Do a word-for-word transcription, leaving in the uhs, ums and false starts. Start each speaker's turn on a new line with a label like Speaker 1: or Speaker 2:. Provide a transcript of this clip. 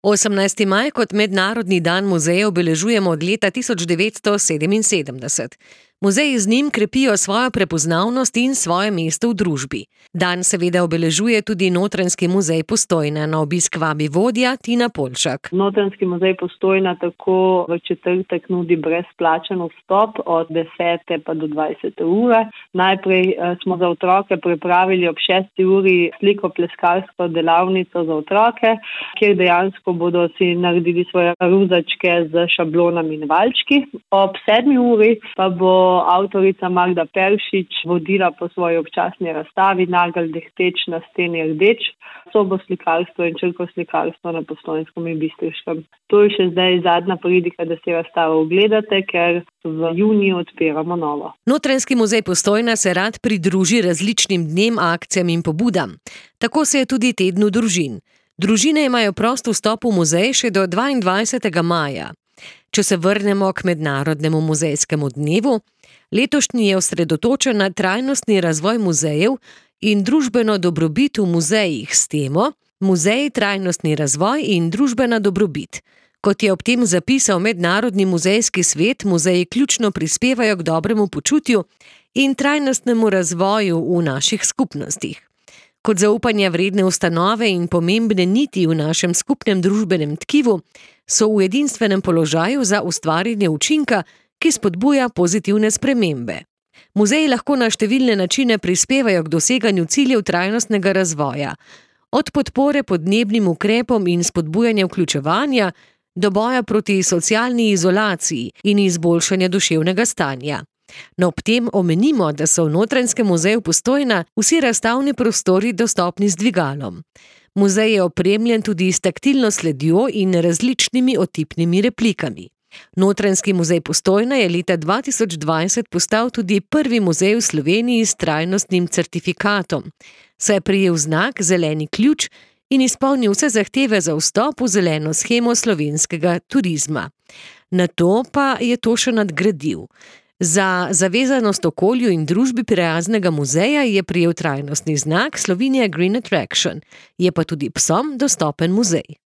Speaker 1: osemnajsti maj kot mednarodni dan muzeja obeležujemo od leta tisoč devetsto sedeminsedemdeset. Muzeji z njim krepijo svojo prepoznavnost in svoje mesto v družbi. Dan seveda obeležuje tudi Notranjski muzej Postojna. Na obisk vabi vodja Tina Poljšak.
Speaker 2: Notranjski muzej Postojna tako v četrtek nudi brezplačen vstop od desete pa do dvajsete ure. Najprej smo za otroke pripravili ob šesti uri slikopleskarsko delavnico za otroke, kjer dejansko bodo si naredili svoje ruzačke z šablonami in valjčki. Ob sedmi uri pa bo avtorica Magda Peršič vodila po svoji občasni razstavi Nagelj dehteč na steni rdeč, sobo slikarstvo in črko slikarstvo na Postojnskem in Bistriškem. To je še zdaj zadnja pridika, da si razstavo ogledate, ker v juniju odpiramo novo.
Speaker 1: Notranjski muzej Postojna se rad pridruži različnim dnem, akcijam in pobudam. Tako se je tudi tednu družin. Družine imajo prost vstop v muzej še do dvaindvajsetega maja. Če se vrnemo k mednarodnemu muzejskemu dnevu, letošnji je osredotočen na trajnostni razvoj muzejev in družbeno dobrobit v muzejih s temo Muzej, trajnostni razvoj in družbena dobrobit. Kot je ob tem zapisal Mednarodni muzejski svet, muzeji ključno prispevajo k dobremu počutju in trajnostnemu razvoju v naših skupnostih. Kot zaupanja vredne ustanove in pomembne niti v našem skupnem družbenem tkivu so v edinstvenem položaju za ustvarjanje učinka, ki spodbuja pozitivne spremembe. Muzeji lahko na številne načine prispevajo k doseganju ciljev trajnostnega razvoja, od podpore podnebnim ukrepom in spodbujanja vključevanja do boja proti socialni izolaciji in izboljšanja duševnega stanja. No, ob tem omenimo, da so v Notranjskem muzeju Postojna vsi razstavni prostori dostopni z dvigalom. Muzej je opremljen tudi s taktilno sledjo in različnimi otipnimi replikami. Notranjski muzej Postojna je leta dva tisoč dvajset postal tudi prvi muzej v Sloveniji s trajnostnim certifikatom, saj je prejel znak zeleni ključ in izpolnil vse zahteve za vstop v zeleno shemo slovenskega turizma. Nato pa je to še nadgradil. Za zavezanost okolju in družbi prijaznega muzeja je prejel trajnostni znak Slovenia Green Attraction, je pa tudi psom dostopen muzej.